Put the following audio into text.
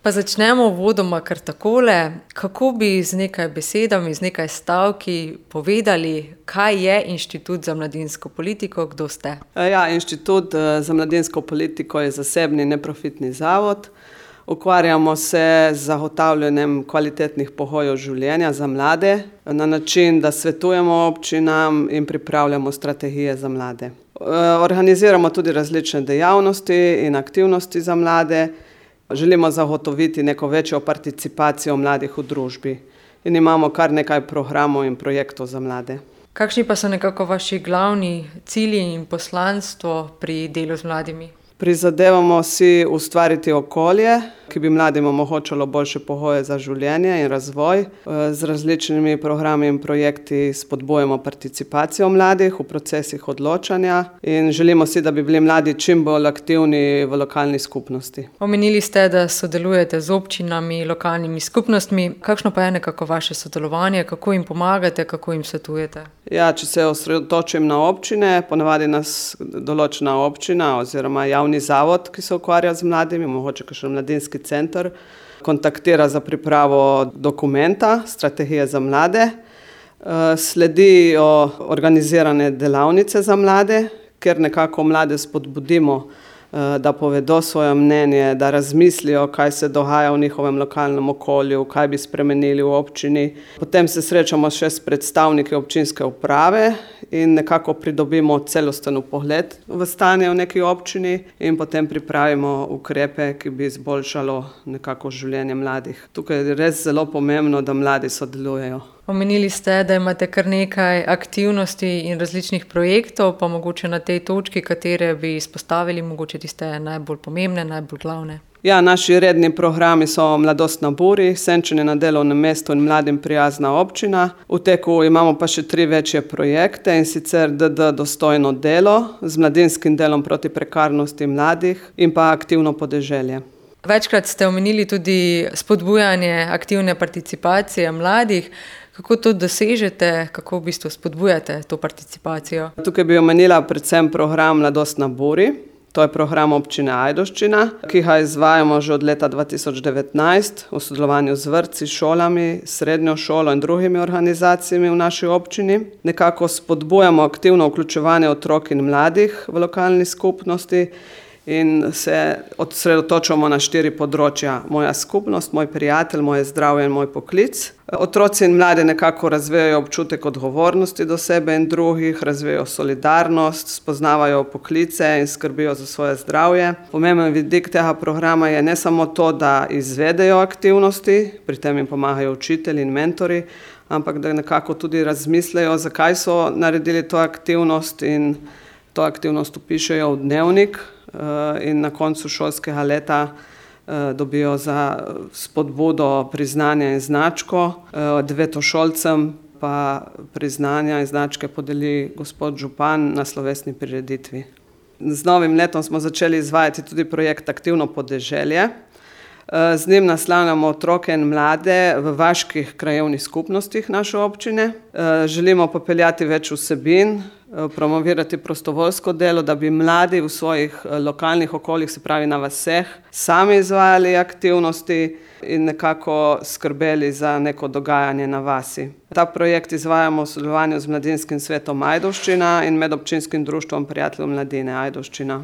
Pa začnemo uvodoma kar takole. Kako bi z nekaj besedami, z nekaj stavki povedali, kaj je Inštitut za mladinsko politiko, kdo ste? Inštitut za mladinsko politiko je zasebni neprofitni zavod. Ukvarjamo se z zagotavljanjem kvalitetnih pogojev življenja za mlade na način, da svetujemo občinam in pripravljamo strategije za mlade. Organiziramo tudi različne dejavnosti in aktivnosti za mlade. Želimo zagotoviti neko večjo participacijo mladih v družbi in imamo kar nekaj programov in projektov za mlade. Kakšni pa so nekako vaši glavni cilji in poslanstvo pri delu z mladimi? Prizadevamo si ustvariti okolje, ki bi mladim omogočalo boljše pogoje za življenje in razvoj. Z različnimi programi in projekti spodbujamo participacijo mladih v procesih odločanja in želimo si, da bi bili mladi čim bolj aktivni v lokalni skupnosti. Omenili ste, da sodelujete z občinami, lokalnimi skupnostmi. Kakšno pa je nekako vaše sodelovanje? Kako jim pomagate, kako jim svetujete? Če se osredotočim na občine, ponavadi nas določena občina oziroma javni zavod, ki se ukvarja z mladimi, mogoče kakšen mladinski center, kontaktira za pripravo dokumenta, strategije za mlade. Sledijo organizirane delavnice za mlade, kjer nekako mlade spodbudimo, da povedo svoje mnenje, da razmislijo, kaj se dogaja v njihovem lokalnem okolju, kaj bi spremenili v občini. Potem se srečamo še s predstavniki občinske uprave in nekako pridobimo celosten pogled v stanje v neki občini in potem pripravimo ukrepe, ki bi izboljšalo nekako življenje mladih. Tukaj je res zelo pomembno, da mladi sodelujejo. Omenili ste, da imate kar nekaj aktivnosti in različnih projektov, pa mogoče na tej točki, katere bi izpostavili, mogoče tiste najbolj pomembne, najbolj glavne. Naši redni programi so Mladost na buri, Senčenje na delovnem mestu in mladim prijazna občina. V teku imamo pa še 3 večje projekte, in sicer DD Dostojno delo z mladinskim delom proti prekarnosti mladih in pa Aktivno podeželje. Večkrat ste omenili tudi spodbujanje aktivne participacije mladih. Kako to dosežete, kako v bistvu spodbujate to participacijo? Tukaj bi omenila predvsem program Mladost na buri. To je program občine Ajdovščina, ki ga izvajamo že od leta 2019 v sodelovanju z vrtci, šolami, srednjo šolo in drugimi organizacijami v naši občini. Nekako spodbujamo aktivno vključevanje otrok in mladih v lokalni skupnosti in se osredotočamo na 4 področja. Moja skupnost, moj prijatelj, moje zdravje in moj poklic. Otroci in mladi nekako razvijajo občutek odgovornosti do sebe in drugih, razvijajo solidarnost, spoznavajo poklice in skrbijo za svoje zdravje. Pomemben vidik tega programa je ne samo to, da izvedejo aktivnosti, pri tem jim pomagajo učitelji in mentori, ampak da nekako tudi razmislejo, zakaj so naredili to aktivnost in to aktivnost vpišejo v dnevnik in na koncu šolskega leta dobijo za spodbudo priznanja in značko. 9-šolcem pa priznanja in značke podeli gospod župan na slovesni prireditvi. Z novim letom smo začeli izvajati tudi projekt Aktivno podeželje. Z njim naslavljamo otroke in mlade v vaških krajevnih skupnostih naše občine. Želimo popeljati več vsebin, promovirati prostovoljsko delo, da bi mladi v svojih lokalnih okoljih, se pravi na vaseh, sami izvajali aktivnosti in nekako skrbeli za neko dogajanje na vasi. Ta projekt izvajamo v sodelovanju z Mladinskim svetom Ajdovščina in Medobčinskim društvom prijateljev mladine Ajdovščina.